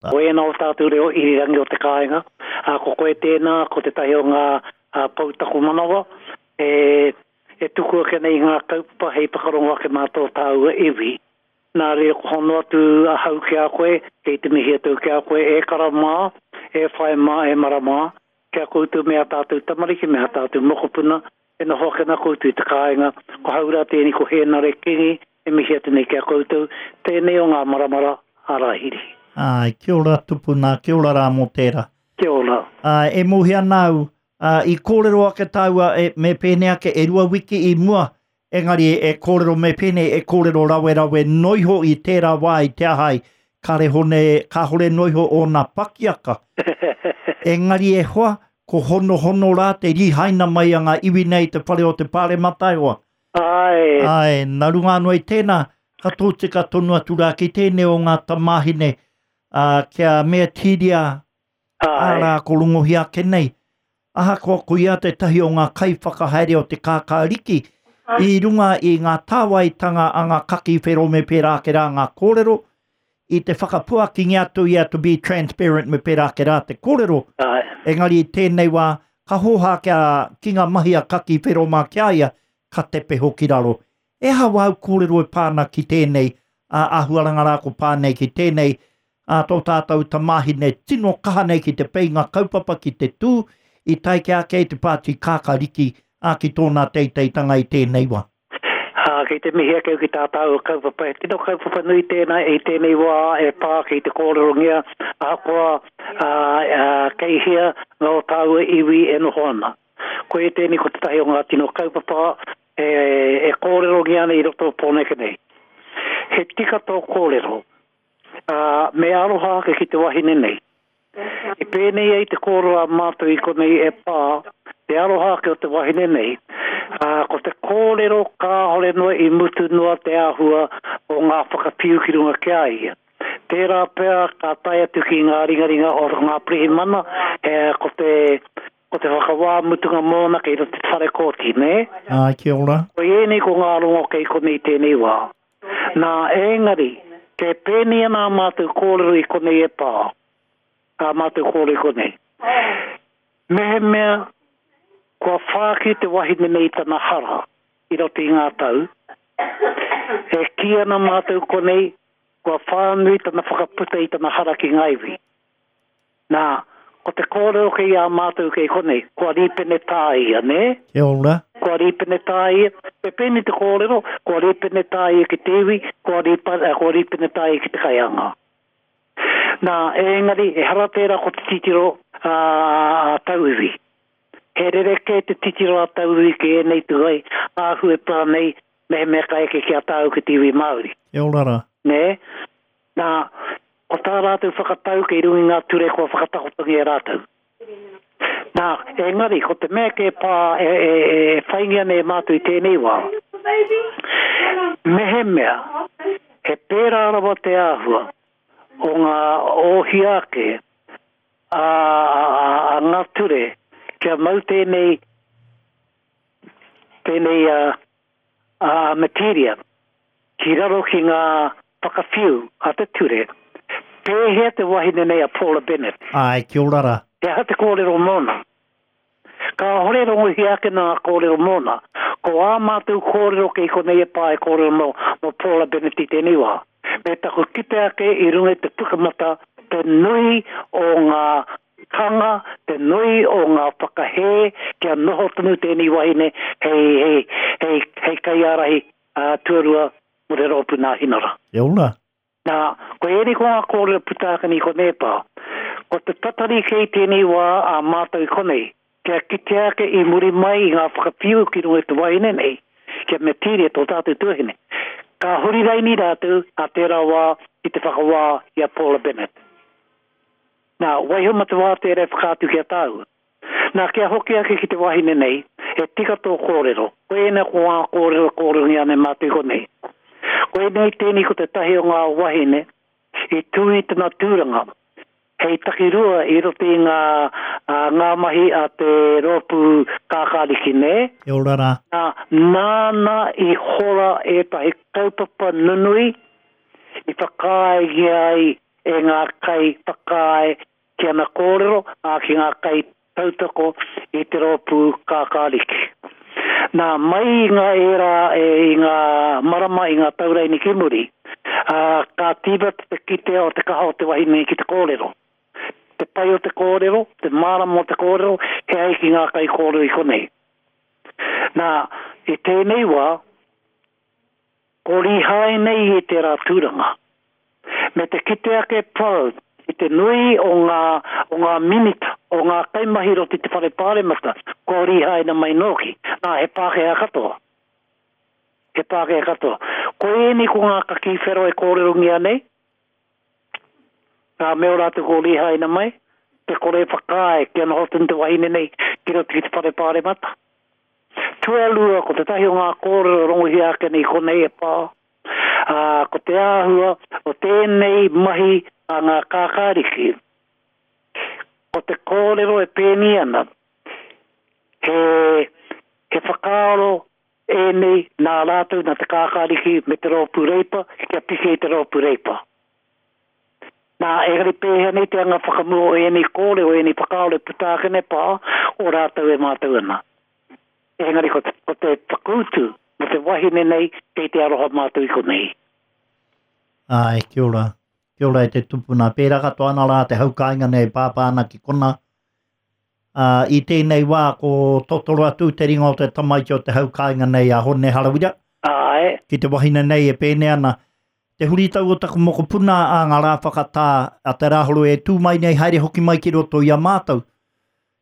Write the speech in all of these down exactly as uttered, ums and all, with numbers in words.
Ko ēnā o tātou reo irirangi o te kāinga, ā, ko koe tēnā, ko tētahi o ngā pou taku manawa, e, e tuku ake nei i ngā kaupapa hei whakarongo ake mā tō tāua iwi. Nā reira ko hono atu ahau ki a koe, kei te mihi atu ki a koe, e kara mā, e whae mā, e mara mā, ki a koutou me ā tātou tamariki, me ā tātou mokopuna, e noho ake ana koutou i te kāinga, ko hau rā tēnei, ko Hēnare Kingi, e mihi atu nei ki a koutou, tēnei o ngā maramara a Rāhiri. Āe, kia ora tupuna, kia ora rā mō tērā. Kia ora. Āe, e mōhio ana au, ā, i kōrero ake tāua e, me pēnei ake e rua wiki i mua, engari e kōrero me pēnei, e kōrero rawerawe noiho i tērā wā i te aha ai, kāre hone, kāhore noiho ōna pakiaka. Engari e hoa, ko honohono rā te rihaina mai a ngā iwi nei i te whare o te Pāremata e hoa. Āe. Āe, nā runga anō i tēnā, ka tōtika tonu atu rā ki tēnei o ngā tamāhine, ā, kia meatīria, arā, ko rongohia ake nei. Ahakoa ko ia tētahi o ngā kaiwhakahaere o te kākāriki, i runga i ngā tāwaitanga a ngā kaki whero me pērā ake rā ngā kōrero, i te whakapuakingia atu ia to be transparent me pērā ake rā te kōrero. Āe. Engari i tēnei wā, ka hōhā kia, ki ngā mahi a kaki whero mā ki a ia, ka tepe hoki raro. E aha wāu kōrero e pā ana ki tēnei, ā, āhuaranga rā ko pā nei ki tēnei, ā, tō tātou tamāhine tino kaha nei ki te peinga kaupapa ki te tū, i tae ki ake i te pāti kākariki, ā, ki tōna teiteitanga i tēnei wā. Ā, kei te mihi ake au ki tā tāua kaupapa. He tino kaupapa nui tēnā i tēnei wā e pā ki te kōrerongia, ahakoa, ā, ā, kei hea ngā o tāua iwi e noho ana. Koia tēnei ko tētahi o ngā tino kaupapa e, e kōrerongia ana i roto o Pōneke nei. He tika tō kōrero, ā, me aroha ake ki te wahine nei. I pēnei ai te kōrero a mātou i konei e pā, te aroha ake o te wahine nei, ā, ko te kōrero kāore noa i mutu noa te āhua o ngā whakawhiu ki runga ki a ia. Tērā pea ka tae atu ki ngā ringaringa o ngā pirihimana, e, ko te, ko te whakawā mutunga mōna kei roto i te whare kōti, nē? Āe, kia ora. Ko ēnei ko ngā rongo kei konei tēnei wā. Nā, engari, kei pēnei ana ā mātou kōrero i konei e pā, ā mātou kōrero i konei. Mehemea kua whāki te wahine nei i tana hara i roto i ngā tau, e kī ana mātou konei kua whānui tana whakaputa i tana hara ki ngā iwi. Nā, ko te kōrero kei a mātou kei konei, kua rīpenetā ia, nē? Kia ora. Kua rīpenetā ia, me pēnei te kōrero, kua rīpenetā ia ki te iwi, kua rīpa, kua rīpenetā ia ki te kaianga. Nā, engari, ehara tērā ko te titiro a, a tauiwi. He rerekē te titiro a tauiwi ki ēnei tūai āhua e pā nei, mehemea ka eke ki a tāu ki te iwi Māori. Kia ora rā. Nē? Nā, ko tā rātou whakatau kei runga i ngā ture kua whakatakotongia e rātou. Nā, engari, ko te mea kē pā e, e, e whaingia nei e mātou i tēnei wā, mehemea he pērā rawa te āhua o ngā ōhia ake a, a, a, a ngā ture kia mau tēnei, tēnei a, a materia ki raro ki ngā whakawhiu a te ture, pēhea te wahine nei a Paula Bennett? Āe, kia ora rā. He aha te kōrero mōna? Kāhore rongohia ake nā kōrero mōna. Ko ā mātou kōrero kei konei e pā e kōrero mō, mō Paula Bennett i tēnei wā. Me taku kite ake i runga i te pukamata te nui o ngā kanga, te nui o ngā whakahē kia noho tonu tēnei wahine hei, hei, hei, hei kaiārahi ā, tuarua mō te rōpū Nāhinara. Kia ora. Nā, ko ēnei ko ngā kōrero puta ake nei ko Nēpā. Ko te tatari kei tēnei wā a mātou i konei, kia kitea ake i muri mai i ngā whakawhiu ki runga i te wahine nei, kia metīria tō tātou tuahine. Ka huri raini rātou a tērā wā ki te whakawā i a Paula Bennett. Nā, waiho ma te wā tērā e whakaatu ki a tāua. Nā, kia hoki ake ki te wahine nei, he tika tō kōrero. Ko ēnei ko ngā kōrero kōrerongia nei mātou i konei. Ko ēnei tēnei ko tētahi o ngā wahine i tū i tana tūranga hei takirua i roto i ngā, ā, ngā mahi a te rōpū kākāriki, nē? Kia ora rā. Nā, nāna i hora ētahi kaupapa nunui i whakaaengia ai e e ngā kai whakaae ki ana kōrero, ā ki ngā kai tautoko i te rōpū kākāriki. Nā, mai i ngā ērā e, i ngā marama i ngā tauraini ki muri, ā, ka tīmata te kitea o te kaha o te wahine ki te kōrero. Te pai o te kōrero, te mārama o te kōrero, he ai ki ngā kai kōrero i konei. Nā, i tēnei wā, ko Rihai nei i tērā tūranga. Me te kite ake pau i te nui o ngā, o ngā minita, o ngā kaimahi roto i te whare pāremata, kua rihaina mai nōki. Nā, he Pākehā katoa. He Pākehā katoa. Ko ēnei ko ngā kakī whero e kōrerongia nei, ngā mea o rātou ko rihaina mai, te kore whakaae kia noho tonu te wahine nei ki roto ki te whare pāremata. Tuarua, ko tētahi o ngā kōrero rongohia ake nei konei e pā, ā, ko te āhua o tēnei mahi a ngā kākāriki. Ko te kōrero e pēni ana, he, he whakaaro ēnei nā rātou nā te kākāriki me te rōpū reipa, kia piki i te rōpū reipa. Nā, engari pēhea nei te anga whakamua o ēnei kōrero, ēnei whakaaro e puta ake nei pā, o rātou e mātou ana. Engari ko te, ko te whakautu mo te wahine nei kei te aroha mātou i konei. Ai, kia ora. Kia ora e te tupuna. Pērā katoa ana rā te haukāinga nei pāpā ana ki kona. Uh, i tēnei wā ko totoro atu te ringa o te tamaiti o te haukāinga nei a Hone Harawira. Ai. Ki te wahine nei e pēne ana. Te huritau o taku mokopuna a ngā rā whakatā a te rāhoro e tū mai nei haere hoki mai ki roto i a mātou.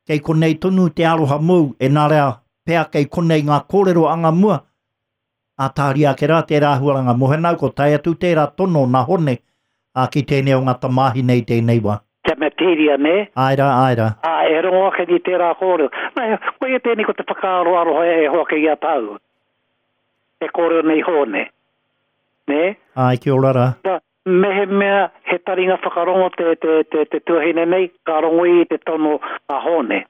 Kei konei tonu te aroha mou e nā rea pea kei konei ngā kōrero anga mua. A tāria ake rā tērā huaranga mohenau ko tae atu tērā tono nā Hone a ki tēnei o ngā tamāhine i tēnei wā. Kia me tīria, ne? Ai rā, ai rā. Ā, e rongo ake ni tērā kōrero. Nā, koia tēnei ko te whakaaro aroha e hoa ke i a tāu. E kōrero nei Hone. Ne? Ai, kia ora rā. Tā, mehemea he taringa whakarongo te, te, te, te tuahine nei, ka rongo i te tono a Hone.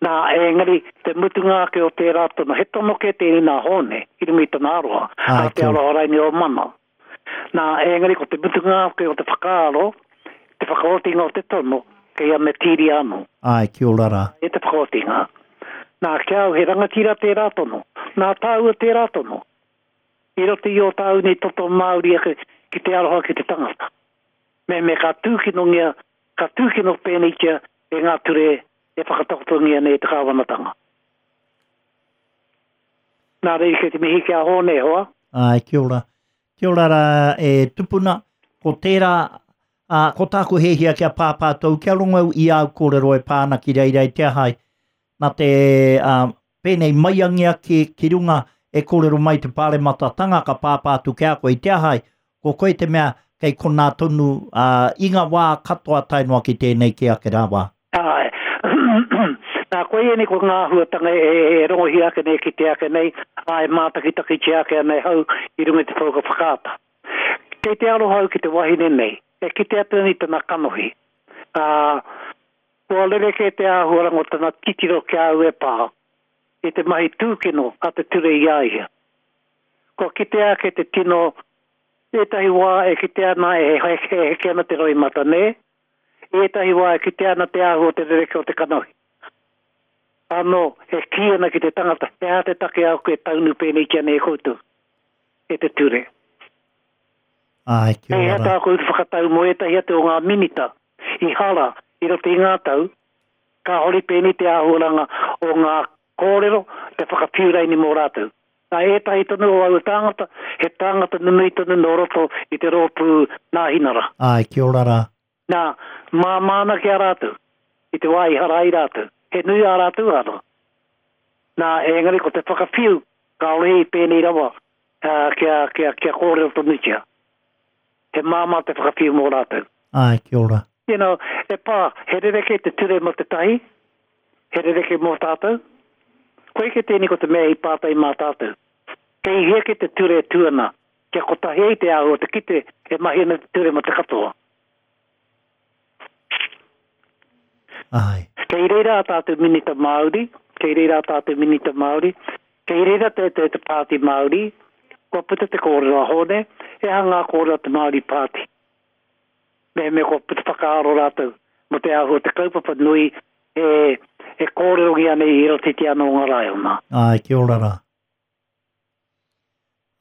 Nā, engari, te mutunga ake o tērā tono, he tono ke tēnei nā Hone, i runga i tana aroha, Ai, nā te kia ora. aroha raini o mana. Nā, engari, ko te mutunga ake o te whakaaro, te whakaotinga o te tono, kei a Metiria anō. Ai, kia ora rā. E te whakaotinga. Nā, kia au, he rangatira tērā tono. Nā tāua tērā tono. I roto i o tāu nei toto Māori ake ki te aroha ki te tangata. Me me ka tūkinongia, ka tūkino pēneitia e ngā ture e whakatakotongia nei te kāwanatanga. Nā reira kei te mihi ki a Hone, hoa. Ai, kia ora. Kia ora rā e tupuna, ko tērā, ā, ko tāku hehia kia pāpā tau, kia rongo i au kōrero e pāna ki reira i te ahai. Nā te ā, pēnei maiangia ki, ki runga e kōrero mai te pārematatanga ka pāpā atu ki a koe i te ahai. Ko koe te mea kei konā tonu ā, i ngā wā katoa tae noa ki tēnei ki ake rā wā. Ai. Nā, koe ēnei ko ngā āhuatanga e, e rongohia ake nei ki te ake nei, ā, e mātakitakitia ake ana e hau i runga i te pouka whakaata. Kei te aroha au ki te wahine nei, e kite atu nei tana kanohi. Ā, kua rerekē te āhuaranga o tana titiro ki a au e pā, i te mahi tūkino a te ture i a ia. Kua kitea ake te tino, ētahi wā e kite ana e heke, heke ana te roimata, nē? Ētahi wā e kite ana te āhua o te rereke o te kanohi. Anō, e kī ana ki te tangata, he aha te take au koe taunu pēneitia nei e koutou, e te ture. Ai, kia Hei ora hea rā. tā koutou whakatau mō ētahi atu o ngā minita i hara i roto i ngā tau, kāhore pēnei te āhuaranga o ngā kōrero, te whakawhiuraini mō rātou. Nā ētahi tonu o aua tāngata, he tāngata nunui tonu nō roto i te rōpū Nāhinara. Ai, kia ora rā. Nā, māmā ana ki a rātou, i te wā i hara ai rātou. He nui ā rātou anō. Nā, engari ko te whakawhiu, kāore i pēnei rawa, ā, kia, kia, kia kōrero tonutia. He māmā te whakawhiu mō rātou. Ai, kia ora. You know, e pā, he rereke te ture mō te tahi, he rereke mō tātou. Koe ke tēnei ko te mea i pātai mā tātou. Kei hea ke te ture e tū ana, kia kotahi ai te āhua o te kite e mahi ana te ture mō te katoa. Ai. Kei reira a tātou minita Māori, kei reira a tātou minita Māori, kei reira te, te, te pāti Māori, kua puta te kōrero a Hone, e aha ngā kōrero a te Māori pāti. Me me ko puta whakaaro rātou, mo te ahu te kaupapa nui e, e kōrerongia nei i roto i te anō ngā raiona. Ai, kia ora rā.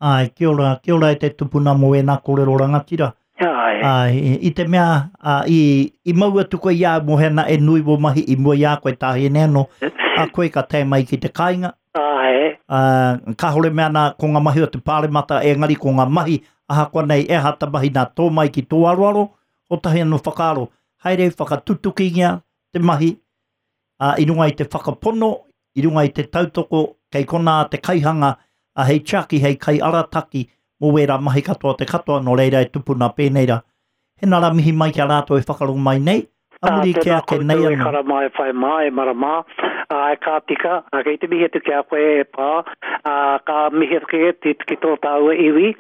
Ai, kia ora, kia ora e te tupuna mō ēnā kōrero rangatira. Ai. Ai, i te mea, a, i, i mau atu koe i a mohena e nui wō mahi i mua i a koe tāhine anō, a koe ka tae mai ki te kāinga. Ai. A, kāhore mea nā ko ngā mahi o te pāremata, engari ko ngā mahi, ahakoa nei e hata mahi nā tō mai ki tō aroaro, o tahi anō whakaaro, haere whakatutukingia te mahi, a, i runga i te whakapono, i runga i te tautoko, kei kona te kaihanga, a hei tiaki, hei kai arataki, mō wērā mahi katoa te katoa, nō reira e tupuna pēnei rā. He nara mihi mai ki a rātou e whakarongo mai nei, a muri Ah, ke ake nei anō. E anō. kara mai whai mā, e mara mā, a, e ka tika, a, kei te mihi atu ki a koe e pā, a, ka mihi atu ki, ki, ki tō tāua iwi.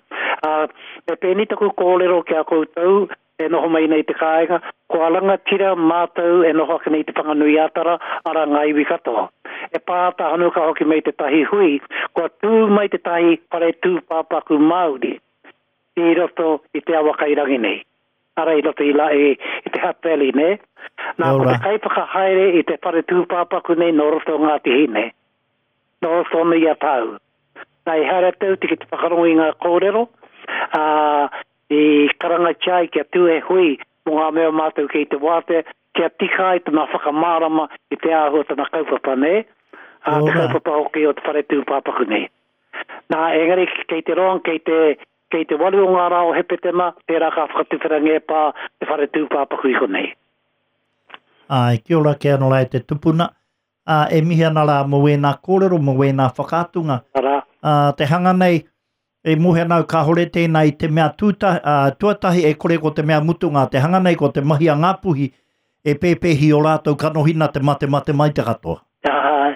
A, e pēni taku kōrero ki a koutou, e noho mai nei te kāinga, ko a rangatira mātou e noho ake nei te Whanganui-a-Tara, ara ngā iwi katoa. E pā tāhanu ka hoki mai te tahi hui, kua tū mai te tahi whare tūpāpaku Māori i roto i te awa kairangi nei. Ara i roto i, la, i, i te Hutt Valley, ne? Nā, ko te kaiwhakahaere i te whare tūpāpaku nei nō roto o Ngāti Hine. Nō roto nei a tāu. Nā, i haere tau te ki te whakarongo i ngā kōrero, ā, i karangatia ai kia tū e hui mō ngā mea mātou kei te wātea, kia tika ai tana whakamārama i te āhua tana kaupapa, ne? Ā, te Ora. kaupapa hoki o te whare tūpāpaku nei. Nā, engari kei te roanga, kei te, kei te waru o ngā rā o Hepetema, tērā ka whakatuwherangia e pā te whare tūpāpaku i konei. Ai, kia ora kia anō rā e te tupuna. Ā, e mihi ana rā mō wēnā kōrero, mō wēnā whakaatunga. Ara. Ā, te hanga nei, e mohe ana au kāhore tēnā i te mea tūta, ā, tuatahi e kore ko te mea mutunga, te hanga nei ko te mahi a Ngāpuhi, e pēpēhi o rātou kanohina te mate mate mai te katoa. Ai,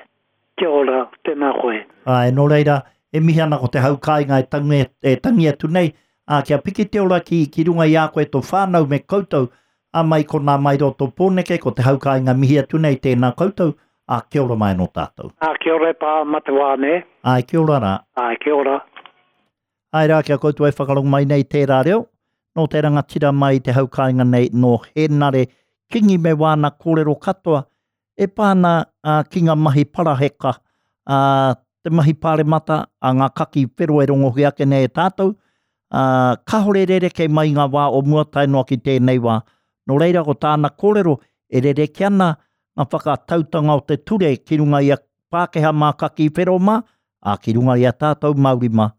kia ora, tēnā koe. Ai, nō reira, e mihi ana ko te hau kāinga e tangi, e tangi atu nei, ā, kia piki te ora ki, ki runga i a koe tō whānau me koutou, ā mai ko nā mai roto Pōneke, ko te hau kāinga mihi atu nei tēnā koutou, ā, kia ora mai anō tātou. Ā, kia ora e pā, mate wā, ne? Ai, kia ora rā. Ai, kia ora. Ai rā, kia koutou e whakarongo mai nei tērā reo, nō te rangatira mai te hau kāinga nei, nō Henare Kingi me wāna kōrero katoa, e pāna ā, ki ngā mahi paraheka, ā, te mahi pāremata, a ngā kaki whero e rongohi ake nei e tātou, ā, kāhore rereke mai ngā wā o mua tae noa ki tēnei wā. Nō reira ko tāna kōrero e rereke ana ngā whakatautanga o te ture ki runga i a Pākehā mā kaki whero mā, ā, ki runga i a tātou Māori mā.